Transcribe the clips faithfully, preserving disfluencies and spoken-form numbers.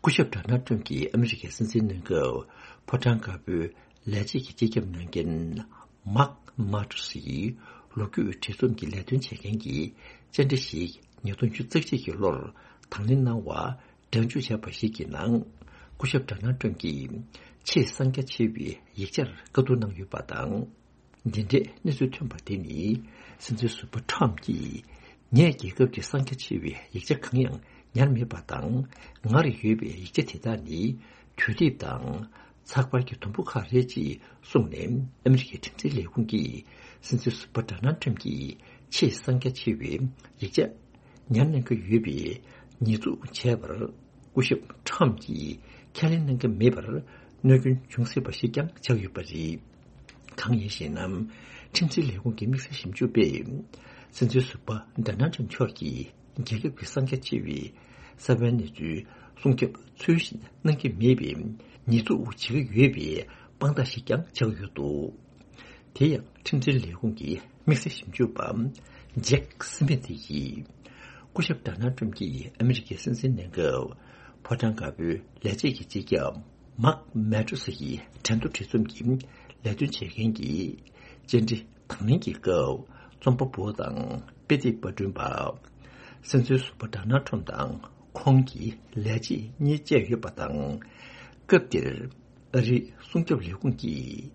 སྐུ་ཞབས་ཌོ་ནལ་ཊམ་གྱིས་ཨ་མི་རི་ཀའི་སྲིད་འཛིན་གནང་སྐབས་ཕོ་བྲང་དཀར་པོའི་ལས་བྱེད་ཀྱི་སྤྱི་ཁྱབ་གནང་མཁན་མཱག་མཱ་ཏུ་སི་ཡིས་ལོ་རྒྱུས་བྲིས་རྩོམ་གྱི་ལས་དོན་བྱེད་མཁན་གྱི་བཅར་འདྲི་ཞིག་ཉིས་སྟོང་ཉི་ཤུ་རྩ་གཅིག་གི་ལོར་དང་ལེན་གནང་བ་སྒྲ་འཇུག་བྱས་པ་ཞིག་གི་ནང་། སྐུ་ཞབས་ཌོ་ནལ་ཊམ་གྱིས་ཆེས་གསང་རྒྱ་ཆེ་བའི་ཡིག་ཆར་བཀའ་བསྡུར་གནང་ཡོད་པ་དང་། འདི་འདྲའི་གནས་ཚུལ་ཐོན་པ་དེ་ནི། སྲིད་འཛིན་ཟུར་པ་ཊམ་གྱིས་ངའི་རྒྱལ་ཁབ་ཀྱི་གསང་རྒྱ་ཆེ་བའི་ཡིག་ཆ་གང་ཡང་ཉར་མེད་པ་དང་། ང་རུ་ཡོད་པའི་ཡིག་ཆ་དེ་དག་ནི་དུས་དེབ་དང་ཚགས་པར་གྱི་དུམ་བུ་ཁག་རེད་ཅེས་གསུངས་ནས། ཨ་མི་རི་ཀའི་ཁྲིམས་འཛིན་ལས་ཁུངས་ཀྱིས་སྲིད་འཛིན་ཟུར་པ་ཌོ་ནལ་ཊམ་གྱི་ཆེས་གསང་རྒྱ་ཆེ་བའི་ཡིག་ཆ་ཉར་གནང་གི་ཡོད་པའི་ཉེས་འཛུགས་བྱས་པར། སྐུ་ཞབས་ཊམ་གྱིས་ཁས་ལེན་གནང་གི་མེད་པར་གནོད་སྐྱོན་བྱུང་སྲིད་པ་ཞིག་ཀྱང་ཆགས་ཡོད་པ་རེད། གང་ཡིན་ཞེ་ན། ཁྲིམས་འཛིན་ལས་ཁུངས་ཀྱི་དམིགས་བསལ་ཞིབ་འཇུག་པས། སྲིད་འཛིན་ཟུར་པ་ཌོ་ནལ་ཊམ་མཆོག་གིས་རྒྱལ་ཁབ་ཀྱི་གསང་རྒྱ་ཆེ་བའི་གསང་བའི་གནས་ཚུལ་སྲུང་སྐྱོབ་ཚུལ་བཞིན་གནང་གི་མེད་པའི་ཉེས་འཛུགས་བྱེད་ཀྱི་ཡོད་པའི་དཔང་རྟགས་ཤིག་ཀྱང་ཆགས་ཡོད་འདུག་དེ་ཡང་ཁྲིམས་འཛིན་ལས་ཁུངས་ཀྱི་དམིགས་བསལ་ཞིབ་འཇུག་པ་ཇེག་སི་མི་ཐི་ཡིས། སྐུ་ཞབས་ཌོ་ནལ་ཊམ་གྱིས་ཨ་མི་རི་ཀའི་སྲིད་འཛིན་གནང་སྐབས་ཕོ་བྲང་དཀར་པོའི་ལས་བྱེད་ཀྱི་སྤྱི་ཁྱབ་མཱག་མཱ་ཏུ་སི་ཡི་གྲལ་མཐུད་བྲིས་རྩོམ་གྱི་ལས་དོན་བྱེད་མཁན་གྱི་བཅར་འདྲི་དང་ལེན་གྱི་སྐབས། རྩོམ་པ་པོ་དང་དཔེ་དེབ་པར་སྐྲུན་པ། སྲིད་འཛིན་ཟུར་པ་ཌོ་ནལ་ཊམ་དང་ཁོང་གི་ལས་བྱེད་གཉིས་བཅས་ཡོད་པ་དང་། སྐབས་དེར། ཨ་རིའི་སྲུང་སྐྱོབ་ལས་ཁུངས་ཀྱིས་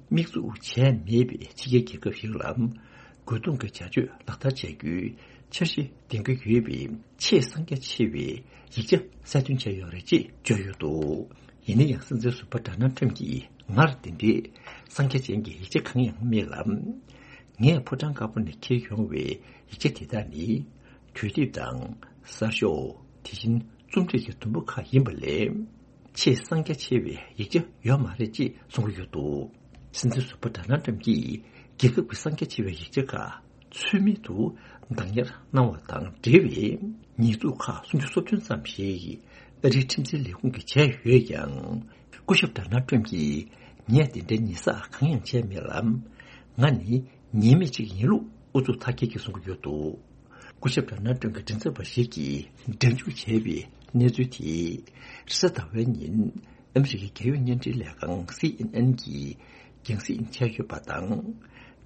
དམིགས་འཛུགས་བྱས་མེད་པའི་ཕྱི་རྒྱལ་རྒྱལ་ཁབ་ཞིག་ལ་རྒོལ་རྡུང་གི་བྱ་སྤྱོད་ལག་བསྟར་བྱ་རྒྱུའི་འཆར་གཞི་འདིང་གི་ཡོད་པའི་ཆེས་གསང་རྒྱ་ཆེ་བའི་ཡིག་ཆ་གསལ་སྟོན་བྱས་ཡོད་རེད་ཅེས་བརྗོད་ཡོད་འདུག་ཡིན་ན་ཡང་། སྲིད་འཛིན་ཟུར་པ་ཌོ་ནལ་ཊམ་གྱིས་སྔར་འདི་འདྲའི་གསང་རྒྱ་ཅན་གྱི་ཡིག་ཆ་གང་ཡང་མེད་ལ། ངས་ཕོ་བྲང་དཀར་པོ་ནས་འཁྱེར་ཡོང་བའི་ཡིག་ཆ་དེ་དག་ནི་དུས་དེབ་དང་གསར་ཤོག་དེ་བཞིན་རྩོམ་སྒྲིག་གི་དུམ་བུ་ཁག་ཡིན་པ་ལས། ཆེས་གསང་རྒྱ་ཆེ་བའི་ཡིག་ཆ་ཡོད་མ་རེད་ཅེས་གསུང་གི་ཡོད་འདུག་སྲིད་འཛིན་ཟུར་པ་ཌོ་ནལ་ཊམ་གྱིས་རྒྱལ་ཁབ་ཀྱི་གསང་རྒྱ་ཆེ་བའི་ཡིག་ཆ་ཁག་ཚུལ་མིན་དུ་བདག་ཉར་གནང་བ་དང་འབྲེལ་བའི་ཉེས་འཛུགས་ཁག་སུམ་ཅུ་སོ་བདུན་ཙམ་ཞིག་ཨ་རིའི་ཁྲིམས་འཛིན་ལས་ཁུངས་ཀྱིས་བྱས་ཡོད་ཀྱང་། སྐུ་ཞབས་ཌོ་ནལ་ཊམ་གྱིས་ངས་དེ་འདྲའི་ཉེས་བསགས་གང་ཡང་བྱས་མེད་ལ། ང་ནི་ཉེས་མེད་ཅིག་ཡིན་ལུགས་ཨུ་ཚུགས་མཐའ་སྐྱེལ་གྱིས་གསུང་གི་ཡོད་འདུག་སྐུ་ཞབས་ཌོ་ནལ་ཊམ་གྱི་མགྲིན་ཚབ་པ་ཞིག་གིས་སྒྲ་འཇུག་བྱས་པའི་གནས་ཚུལ་དེས་རེས་གཟའ་ཟླ་བའི་ཉིན་ཨ་མི་རི་ཀའི་རྒྱལ་ཡོངས་བརྙན་འཕྲིན་ལས་ཁང་སི་ཨེན་ཨེན་གྱིས་རྒྱང་སྲིང་བྱས་ཡོད་པ་དང་།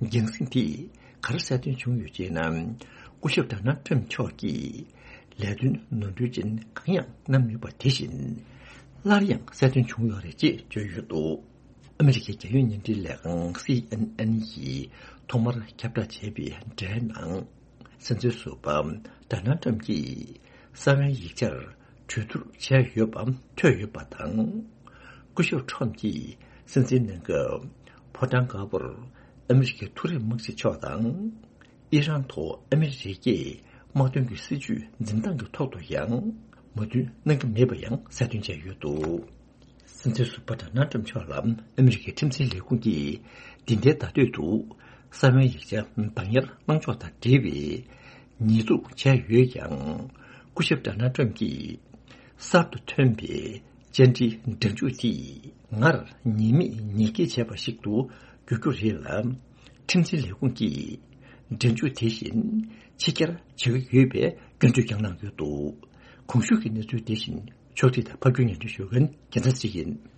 རྒྱང་སྲིང་དེས་ག་རེ་གསལ་སྟོན་བྱུང་ཡོད་ཅེ་ན། སྐུ་ཞབས་ཌོ་ནལ་ཊམ་མཆོག་གིས་ལས་དོན་ནོར་འཁྲུལ་ཅན་གང་ཡང་གནང་མེད་པ་དེ་བཞིན་སླར་ཡང་གསལ་སྟོན་བྱུང་ཡོད་རེད་ཅེས་བརྗོད་ཡོད་འདུག་ཨ་མི་རི་ཀའི་རྒྱལ་ཡོངས་བརྙན་འཕྲིན་ལས་ཁང་སི་ཨེན་ཨེན་ཡིས་ཐོག་མར་ཁྱབ་བསྒྲགས་བྱས་པའི་འགྲེལ་ནང་། སྲིད་འཛིན་ཟུར་པ་ཌོ་ནལ་ཊམ་གྱིས་གསང་བའི་ཡིག་ཆར་གྲོས་བསྡུར་བྱས་ཡོད་པ་ཐོས་ཡོད་པ་དང་། སྐུ་ཞབས་ཊམ་གྱིས་སྲིད་འཛིན་གནང་སྐབས་ཕོ་བྲང་དཀར་པོར་ཨ་མི་རི་ཀའི་མཐོ་རིམ་དམག་སྤྱི་མཆོག་དང་། ཨི་རན་ཐོག་ཨ་མི་རི་ཀས་དམག་དོན་གྱི་སྲིད་ཇུས་འཛིན་སྟངས་ཀྱི་ཐོག་ཏུ་ཡང་མོས་མཐུན་གནང་གི་མེད་པ་ཡང་གསལ་སྟོན་བྱས་ཡོད་འདུག་སྲིད་འཛིན་ཟུར་པ་ཌོ་ནལ་ཊམ་མཆོག་ལ་ཨ་མི་རི་ཀའི་ཁྲིམས་འཛིན་ལས་ཁུངས་ཀྱིས་འདི་ཟླའི་ཟླ་སྟོད་དུ་གསང་བའི་ཡིག་ཆ་བདག་ཉར་གནང་ཕྱོགས་དང་འབྲེལ་བའི་ཉེས་འཛུགས་བྱས་ཡོད་ཀྱང་། སྐུ་ཞབས་ཌོ་ནལ་ཊམ་གྱིས་གསར་དུ་ཐོན་པའི་བཅར་འདྲིའི་སྒྲ་འཇུག་དེས་སྔར་ཉེས་མེད་ཉེས་འགེལ་བྱས་པ་ཞིག་ཏུ་འགྱུར་རྒྱུ་རེད་ལ། ཁྲིམས་འཛིན་ལས་ཁུངས་ཀྱིས་སྒྲ་འཇུག་དེ་བཞིན་ཕྱི་གྱར་བྱེད་ཀྱི་ཡོད་པའི་སྐྱོན་བརྗོད་ཀྱང་གནང་ཡོད་འདུག་གོང་ཞུས་ཀྱི་གནས་ཚུལ་དེ་བཞིན་ཕྱོགས་སྒྲིག་དང་ཕབ་སྒྱུར་སྙན་སྒྲོན་ཞུ་མཁན་རྒྱལ་མཚན་ཚེ་རིང་ཡིན།